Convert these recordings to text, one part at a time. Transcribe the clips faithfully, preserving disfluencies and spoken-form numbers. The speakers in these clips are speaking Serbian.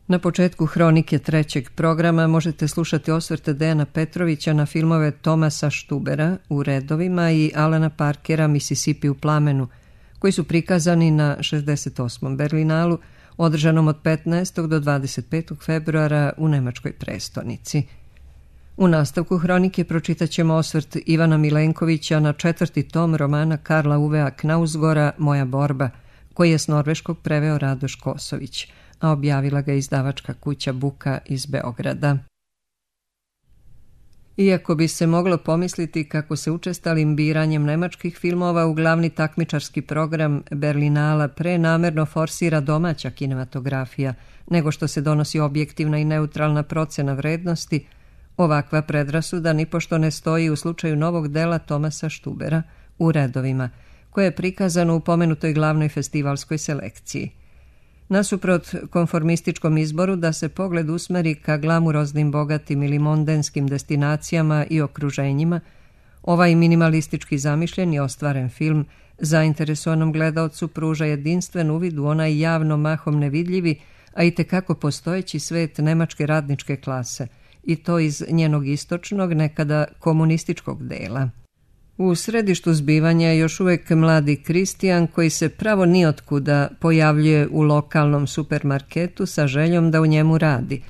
Na početku hronike trećeg programa možete slušati osvrte Dejana Petrovića na filmove Thomasa Štubera U redovima i Alana Parkera Mississippi u plamenu, koji su prikazani na šezdeset osmom Berlinalu, održanom od petnaestog do dvadeset petog februara u nemačkoj prestonici. U nastavku hronike pročitat ćemo osvrt Ivana Milenkovića na četvrti tom romana Karla Uvea Knausgora Moja borba, koji je s norveškog preveo Radoš Kosović, a objavila ga izdavačka kuća Buka iz Beograda. Iako bi se moglo pomisliti kako se učestalim biranjem nemačkih filmova u glavni takmičarski program Berlinala prenamerno forsira domaća kinematografija, nego što se donosi objektivna i neutralna procena vrednosti, ovakva predrasuda nipošto ne stoji u slučaju novog dela Thomasa Štubera U redovima, koje je prikazano u pomenutoj glavnoj festivalskoj selekciji. Nasuprot konformističkom izboru da se pogled usmeri ka glamuroznim, bogatim ili mondenskim destinacijama i okruženjima, ovaj minimalistički zamišljen i ostvaren film zainteresovanom gledaocu pruža jedinstven uvid u onaj javno mahom nevidljivi, a i tekako postojeći svet nemačke radničke klase, i to iz njenog istočnog, nekada komunističkog dela. U središtu zbivanja je još uvijek mladi Kristijan koji se pravo nijotkuda pojavljuje u lokalnom supermarketu sa željom da u njemu radi.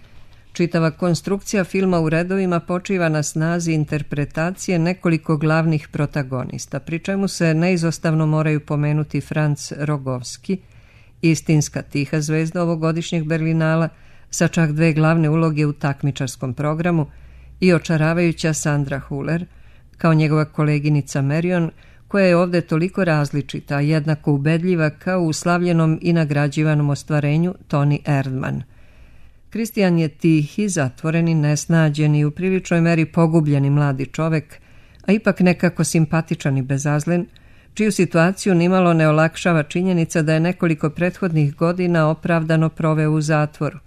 Čitava konstrukcija filma U redovima počiva na snazi interpretacije nekoliko glavnih protagonista, pri čemu se neizostavno moraju pomenuti Franz Rogovski, istinska tiha zvezda ovogodišnjeg Berlinala, sa čak dve glavne uloge u takmičarskom programu, i očaravajuća Sandra Huller, kao njegova koleginica Marion, koja je ovdje toliko različita, jednako ubedljiva kao u slavljenom i nagrađivanom ostvarenju Toni Erdmann. Kristijan je tihi, zatvoreni, nesnađeni i u priličnoj meri pogubljeni mladi čovek, a ipak nekako simpatičan i bezazlen, čiju situaciju nimalo ne olakšava činjenica da je nekoliko prethodnih godina opravdano proveo u zatvoru.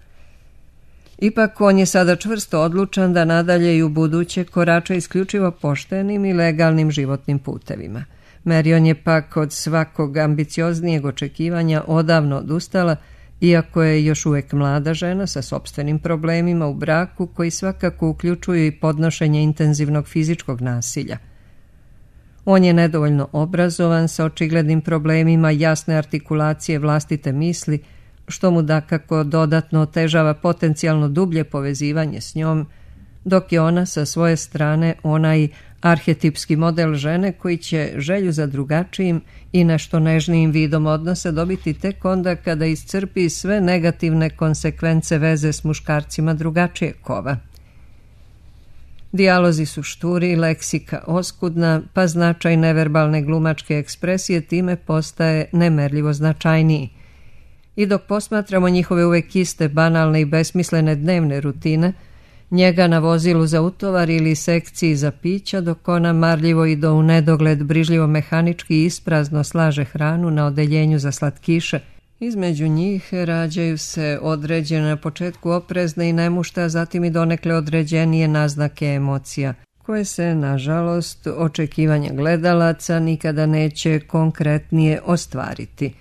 Ipak on je sada čvrsto odlučan da nadalje i u buduće korača isključivo poštenim i legalnim životnim putevima. Marion je pak od svakog ambicioznijeg očekivanja odavno odustala, iako je još uvijek mlada žena sa sopstvenim problemima u braku koji svakako uključuju i podnošenje intenzivnog fizičkog nasilja. On je nedovoljno obrazovan, sa očiglednim problemima jasne artikulacije vlastite misli, što mu dakako dodatno otežava potencijalno dublje povezivanje s njom, dok je ona sa svoje strane onaj arhetipski model žene koji će želju za drugačijim i nešto nežnijim vidom odnosa dobiti tek onda kada iscrpi sve negativne konsekvence veze s muškarcima drugačije kova. Dijalozi su šturi, leksika oskudna, pa značaj neverbalne glumačke ekspresije time postaje nemerljivo značajniji. I dok posmatramo njihove uvek iste, banalne i besmislene dnevne rutine, njega na vozilu za utovar ili sekciji za pića, dok ona marljivo i do u nedogled brižljivo mehanički i isprazno slaže hranu na odeljenju za slatkiše, između njih rađaju se određene na početku oprezne i nemušte, a zatim i donekle određenije naznake emocija, koje se, nažalost, očekivanja gledalaca nikada neće konkretnije ostvariti.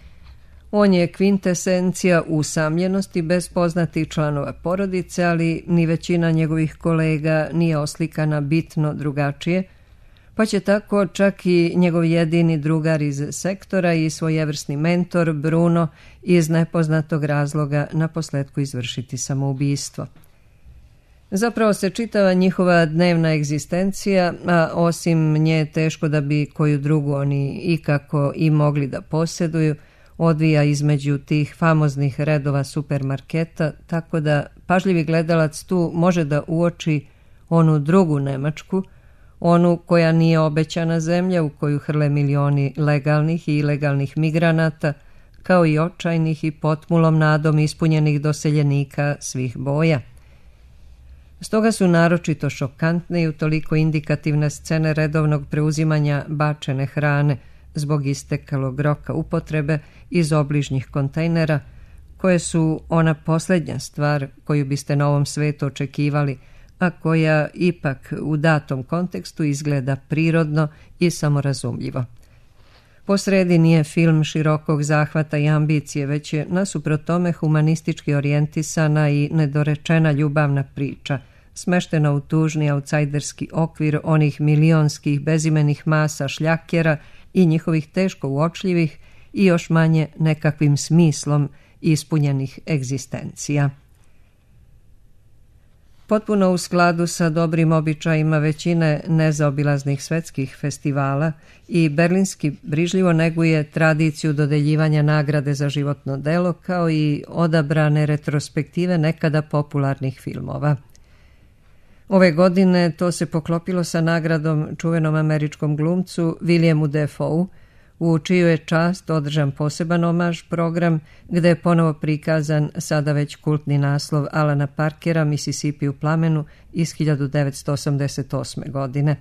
On je kvintesencija usamljenosti bez poznatih članova porodice, ali ni većina njegovih kolega nije oslikana bitno drugačije, pa će tako čak i njegov jedini drugar iz sektora i svojevrsni mentor Bruno iz nepoznatog razloga naposletku izvršiti samoubistvo. Zapravo se čitava njihova dnevna egzistencija, a osim nje teško da bi koju drugu oni ikako i mogli da posjeduju, odvija između tih famoznih redova supermarketa, tako da pažljivi gledalac tu može da uoči onu drugu Nemačku, onu koja nije obećana zemlja u koju hrle milioni legalnih i ilegalnih migranata, kao i očajnih i potmulom nadom ispunjenih doseljenika svih boja. Stoga su naročito šokantne i utoliko indikativne scene redovnog preuzimanja bačene hrane zbog istekalog roka upotrebe iz obližnjih kontejnera, koje su ona posljednja stvar koju biste na ovom svetu očekivali, a koja ipak u datom kontekstu izgleda prirodno i samorazumljivo. Po sredi nije film širokog zahvata i ambicije, već je nasuprot tome humanistički orijentisana i nedorečena ljubavna priča, smeštena u tužni autsajderski okvir onih milionskih bezimenih masa šljakera i njihovih teško uočljivih i još manje nekakvim smislom ispunjenih egzistencija. Potpuno u skladu sa dobrim običajima većine nezaobilaznih svetskih festivala i berlinski brižljivo neguje tradiciju dodeljivanja nagrade za životno delo kao i odabrane retrospektive nekada popularnih filmova. Ove godine to se poklopilo sa nagradom čuvenom američkom glumcu Williamu Dafoe, u čiju je čast održan poseban omaž program gde je ponovo prikazan sada već kultni naslov Alana Parkera Mississippi u plamenu iz hiljadu devetsto osamdeset osme. godine.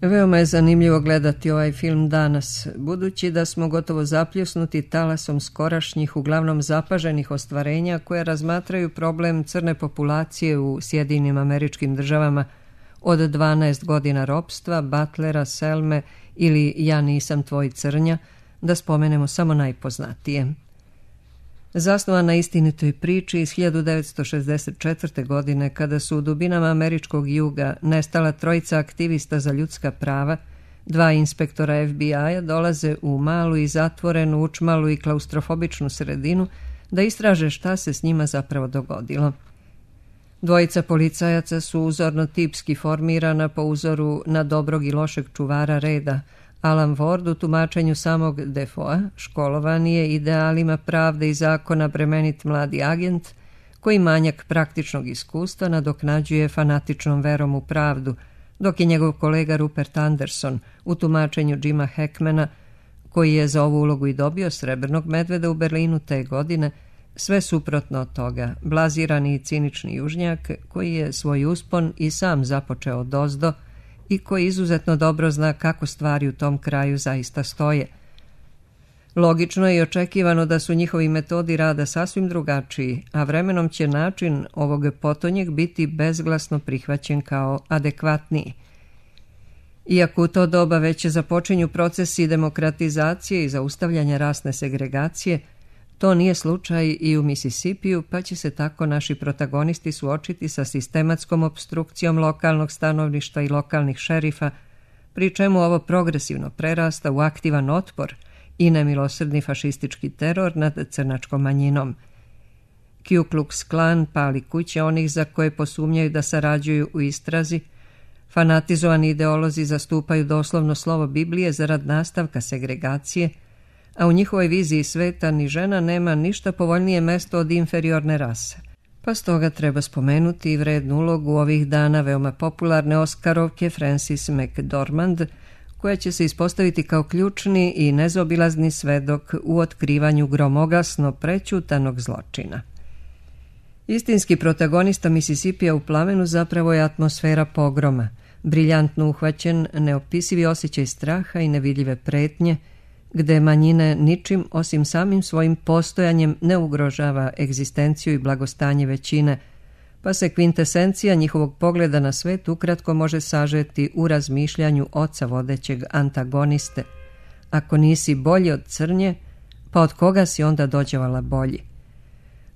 Veoma je zanimljivo gledati ovaj film danas, budući da smo gotovo zapljusnuti talasom skorašnjih, uglavnom zapaženih ostvarenja koje razmatraju problem crne populacije u Sjedinjenim Američkim Državama od dvanaest godina ropstva, Butlera, Selme ili Ja nisam tvoj crnja, da spomenemo samo najpoznatije. Zasnovan na istinitoj priči iz hiljadu devetsto šezdeset četvrte. godine, kada su u dubinama američkog juga nestala trojica aktivista za ljudska prava, dva inspektora F B I-a dolaze u malu i zatvorenu, učmalu i klaustrofobičnu sredinu da istraže šta se s njima zapravo dogodilo. Dvojica policajaca su uzorno tipski formirana po uzoru na dobrog i lošeg čuvara reda. Alan Ward u tumačenju samog Defoea, školovan je idealima pravde i zakona bremenit mladi agent, koji manjak praktičnog iskustva nadoknađuje fanatičnom verom u pravdu, dok je njegov kolega Rupert Anderson u tumačenju Jima Hackmana, koji je za ovu ulogu i dobio srebrnog medveda u Berlinu te godine, sve suprotno od toga, blazirani i cinični južnjak koji je svoj uspon i sam započeo odozdo i koji izuzetno dobro zna kako stvari u tom kraju zaista stoje. Logično je i očekivano da su njihovi metodi rada sasvim drugačiji, a vremenom će način ovog potonjeg biti bezglasno prihvaćen kao adekvatniji. Iako u to doba već započinju procesi demokratizacije i zaustavljanja rasne segregacije, to nije slučaj i u Mississippiju, pa će se tako naši protagonisti suočiti sa sistematskom opstrukcijom lokalnog stanovništva i lokalnih šerifa, pri čemu ovo progresivno prerasta u aktivan otpor i nemilosrdni fašistički teror nad crnačkom manjinom. Ku Klux Klan pali kuće onih za koje posumnjaju da sarađuju u istrazi, fanatizovani ideolozi zastupaju doslovno slovo Biblije zarad nastavka segregacije, a u njihovoj viziji sveta ni žena nema ništa povoljnije mesto od inferiorne rase. Pa stoga treba spomenuti i vrednu ulogu ovih dana veoma popularne Oskarovke Frances McDormand, koja će se ispostaviti kao ključni i nezaobilazni svedok u otkrivanju gromoglasno prećutanog zločina. Istinski protagonista Mississippija u plamenu zapravo je atmosfera pogroma, briljantno uhvaćen, neopisivi osjećaj straha i nevidljive pretnje, gde manjine ničim osim samim svojim postojanjem ne ugrožava egzistenciju i blagostanje većine, pa se kvintesencija njihovog pogleda na svet ukratko može sažeti u razmišljanju oca vodećeg antagoniste. Ako nisi bolji od crnje, pa od koga si onda dođevala bolji?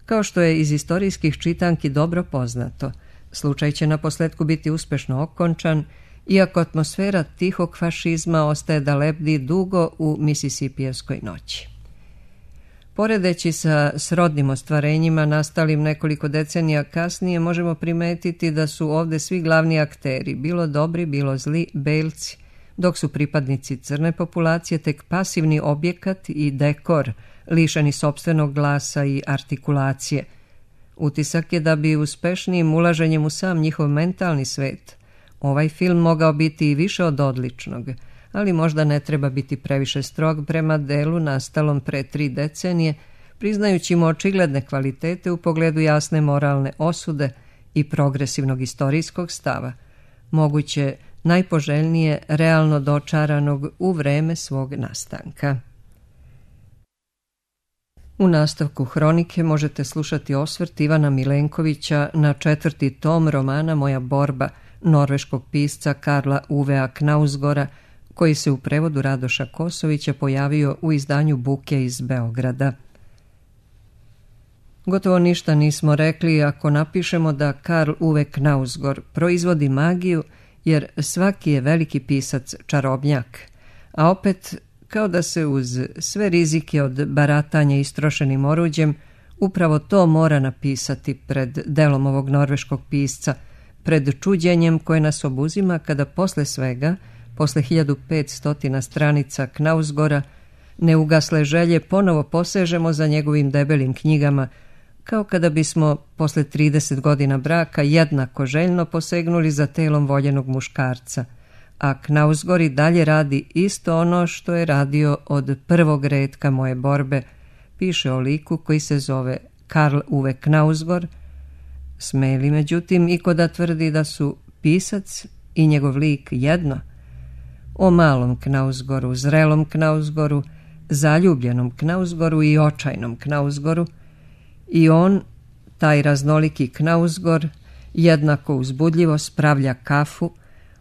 Kao što je iz istorijskih čitanki dobro poznato, slučaj će na posletku biti uspešno okončan, iako atmosfera tihog fašizma ostaje da lebdi dugo u Mississipijevskoj noći. Poredeći sa srodnim ostvarenjima nastalim nekoliko decenija kasnije, možemo primetiti da su ovde svi glavni akteri, bilo dobri, bilo zli, belci, dok su pripadnici crne populacije tek pasivni objekat i dekor, lišeni sopstvenog glasa i artikulacije. Utisak je da bi uspešnijim ulaženjem u sam njihov mentalni svet ovaj film mogao biti i više od odličnog, ali možda ne treba biti previše strog prema delu nastalom pre tri decenije, priznajući mu očigledne kvalitete u pogledu jasne moralne osude i progresivnog istorijskog stava, moguće najpoželjnije realno dočaranog u vreme svog nastanka. U nastavku hronike možete slušati osvrt Ivana Milenkovića na četvrti tom romana Moja borba, norveškog pisca Karla Uvea Knausgora, koji se u prevodu Radoša Kosovića pojavio u izdanju Buke iz Beograda. Gotovo ništa nismo rekli ako napišemo da Karl Uwe Knausgård proizvodi magiju, jer svaki je veliki pisac čarobnjak, a opet kao da se uz sve rizike od baratanja istrošenim oruđem upravo to mora napisati pred delom ovog norveškog pisca, pred čuđenjem koje nas obuzima kada posle svega, posle hiljadu petsto stranica Knausgårda, neugasle želje ponovo posežemo za njegovim debelim knjigama, kao kada bismo posle trideset godina braka jednako željno posegnuli za telom voljenog muškarca, a Knausgård i dalje radi isto ono što je radio od prvog retka moje borbe, piše o liku koji se zove Karl Uwe Knausgård. Smeli međutim i ko da tvrdi da su pisac i njegov lik jedno. O malom Knausgårdu, zrelom Knausgårdu, zaljubljenom Knausgårdu i očajnom Knausgårdu. I on, taj raznoliki Knausgård, jednako uzbudljivo spravlja kafu,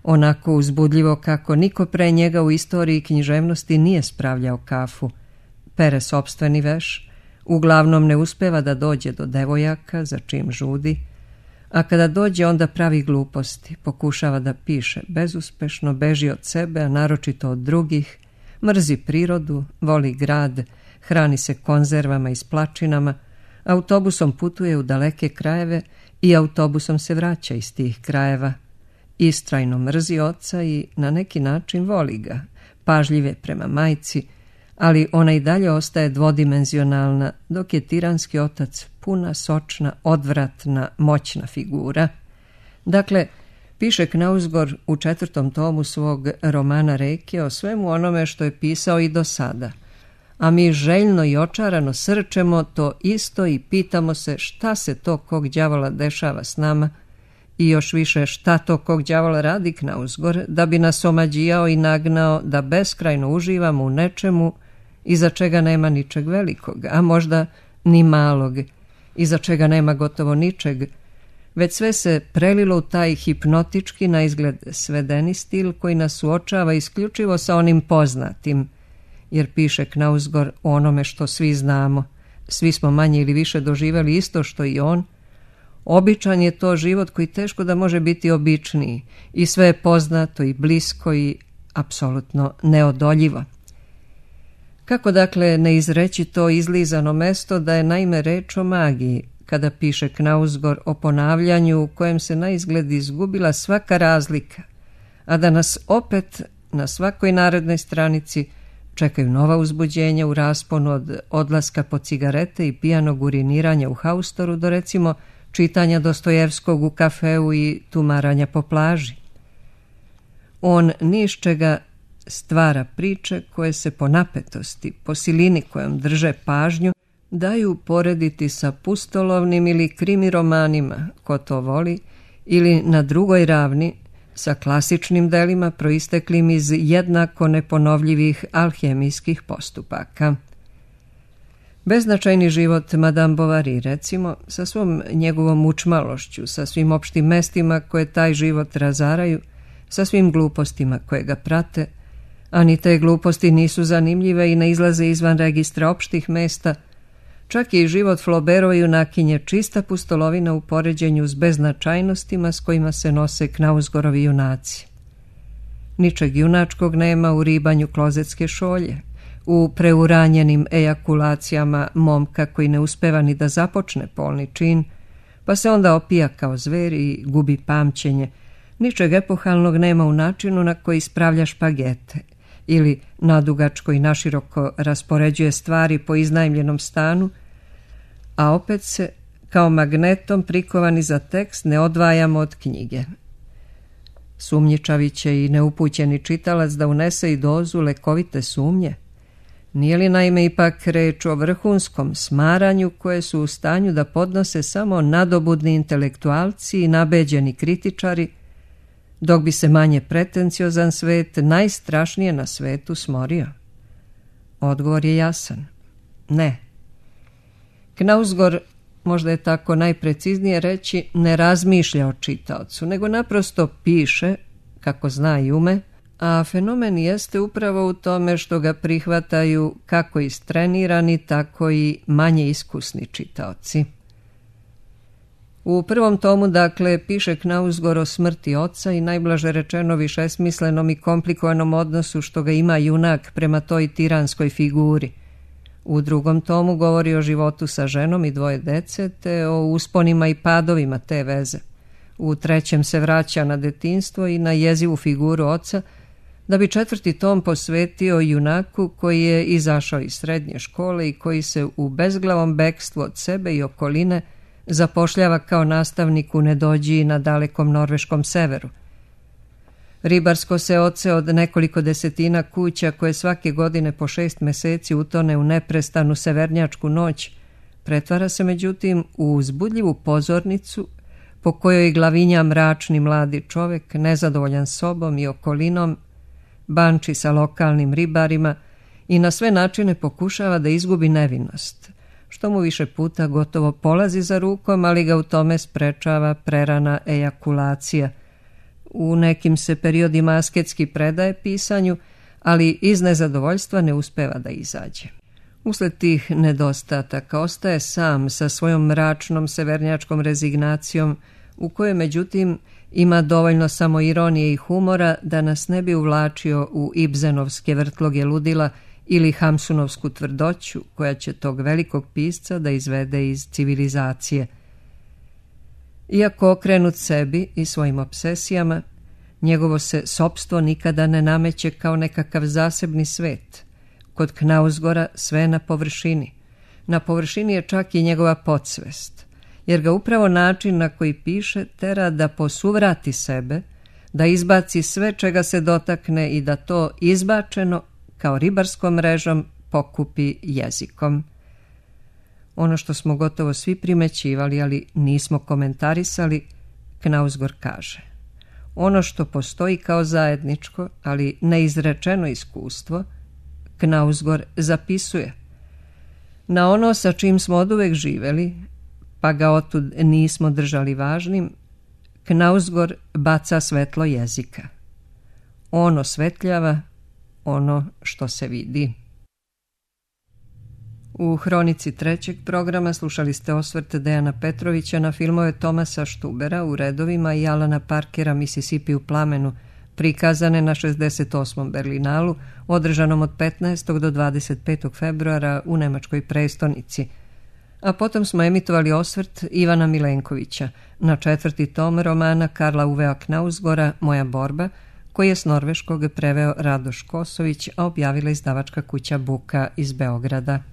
onako uzbudljivo kako niko pre njega u istoriji književnosti nije spravljao kafu. Pere sopstveni veš, uglavnom ne uspeva da dođe do devojaka za čim žudi, a kada dođe onda pravi gluposti, pokušava da piše bezuspešno, beži od sebe, a naročito od drugih, mrzi prirodu, voli grad, hrani se konzervama i splačinama, autobusom putuje u daleke krajeve i autobusom se vraća iz tih krajeva. Istrajno mrzi oca i na neki način voli ga, pažljive prema majci, ali ona i dalje ostaje dvodimenzionalna, dok je tiranski otac puna, sočna, odvratna, moćna figura. Dakle, piše Knausgård u četvrtom tomu svog romana Reke o svemu onome što je pisao i do sada, a mi željno i očarano srčemo to isto i pitamo se šta se to kog đavola dešava s nama i još više šta to kog đavola radi Knausgård da bi nas omađijao i nagnao da beskrajno uživamo u nečemu iza čega nema ničeg velikog, a možda ni malog, iza čega nema gotovo ničeg, već sve se prelilo u taj hipnotički na izgled svedeni stil koji nas suočava isključivo sa onim poznatim, jer piše Knausgård o onome što svi znamo, svi smo manje ili više doživjeli isto što i on. Običan je to život koji teško da može biti običniji i sve je poznato i blisko i apsolutno neodoljivo. Kako dakle ne izreći to izlizano mesto da je naime reč o magiji, kada piše Knausgård o ponavljanju u kojem se na izgled izgubila svaka razlika, a da nas opet na svakoj narednoj stranici čekaju nova uzbuđenja u rasponu od odlaska po cigarete i pijanog uriniranja u haustoru do recimo čitanja Dostojevskog u kafeu i tumaranja po plaži. On ni iz čega stvara priče koje se po napetosti, po silini kojom drže pažnju, daju porediti sa pustolovnim ili krimi romanima, ko to voli, ili na drugoj ravni sa klasičnim delima proisteklim iz jednako neponovljivih alhemijskih postupaka. Beznačajni život Madame Bovary, recimo, sa svom njegovom učmalošću, sa svim opštim mestima koje taj život razaraju, sa svim glupostima koje ga prate, a ni te gluposti nisu zanimljive i ne izlaze izvan registra opštih mesta, čak i život Flaubertove junakinje čista pustolovina u poređenju s beznačajnostima s kojima se nose Knausgårdovi junaci. Ničeg junačkog nema u ribanju klozetske šolje, u preuranjenim ejakulacijama momka koji ne uspeva ni da započne polni čin, pa se onda opija kao zver i gubi pamćenje. Ničeg epohalnog nema u načinu na koji spravlja špagete ili nadugačko i naširoko raspoređuje stvari po iznajmljenom stanu, a opet se, kao magnetom prikovani za tekst, ne odvajamo od knjige. Sumnjičavi će i neupućeni čitalac da unese i dozu lekovite sumnje. Nije li naime ipak reč o vrhunskom smaranju koje su u stanju da podnose samo nadobudni intelektualci i nabeđeni kritičari, dok bi se manje pretenciozan svet najstrašnije na svetu smorio? Odgovor je jasan. Ne. Knausgård, možda je tako najpreciznije reći, ne razmišlja o čitaocu, nego naprosto piše, kako zna i ume, A fenomen jeste upravo u tome što ga prihvataju kako istrenirani, tako i manje iskusni čitaoci. U prvom tomu, dakle, piše Knausgård o smrti oca i najblaže rečeno višesmislenom i komplikovanom odnosu što ga ima junak prema toj tiranskoj figuri. U drugom tomu govori o životu sa ženom i dvoje dece, te o usponima i padovima te veze. U trećem se vraća na detinjstvo i na jezivu figuru oca, da bi četvrti tom posvetio junaku koji je izašao iz srednje škole i koji se u bezglavom bekstvu od sebe i okoline zapošljava kao nastavnik u nedođiji na dalekom norveškom severu. Ribarsko se oce od nekoliko desetina kuća koje svake godine po šest meseci utone u neprestanu severnjačku noć, pretvara se međutim u uzbudljivu pozornicu po kojoj glavinja mračni mladi čovek, nezadovoljan sobom i okolinom, banči sa lokalnim ribarima i na sve načine pokušava da izgubi nevinost, što mu više puta gotovo polazi za rukom, ali ga u tome sprečava prerana ejakulacija. U nekim se periodima asketski predaje pisanju, ali iz nezadovoljstva ne uspeva da izađe. Usled tih nedostataka ostaje sam sa svojom mračnom severnjačkom rezignacijom, u kojoj međutim ima dovoljno samo ironije i humora da nas ne bi uvlačio u Ibsenovske vrtloge ludila ili Hamsunovsku tvrdoću koja će tog velikog pisca da izvede iz civilizacije. Iako okrenut sebi i svojim obsesijama, njegovo se sopstvo nikada ne nameće kao nekakav zasebni svet. Kod Knausgårda sve je na površini. Na površini je čak i njegova podsvest, jer ga upravo način na koji piše tera da posuvrati sebe, da izbaci sve čega se dotakne i da to izbačeno, kao ribarskom mrežom, pokupi jezikom. Ono što smo gotovo svi primećivali, ali nismo komentarisali, Knausgård kaže: ono što postoji kao zajedničko, ali neizrečeno iskustvo, Knausgård zapisuje. Na ono sa čim smo oduvek živeli, pa ga otud nismo držali važnim, Knausgård baca svetlo jezika. On osvetljava ono što se vidi. U hronici trećeg programa slušali ste osvrt Dejana Petrovića na filmove Tomasa Štubera u redovima i Alana Parkera Mississippi u plamenu, prikazane na šezdeset osmom Berlinalu, održanom od petnaestog do dvadeset petog februara u nemačkoj prestonici. A potom smo emitovali osvrt Ivana Milenkovića na četvrti tom romana Karla Uvea Knausgårda Moja borba, koji je s norveškog preveo Radoš Kosović, a objavila izdavačka kuća Buka iz Beograda.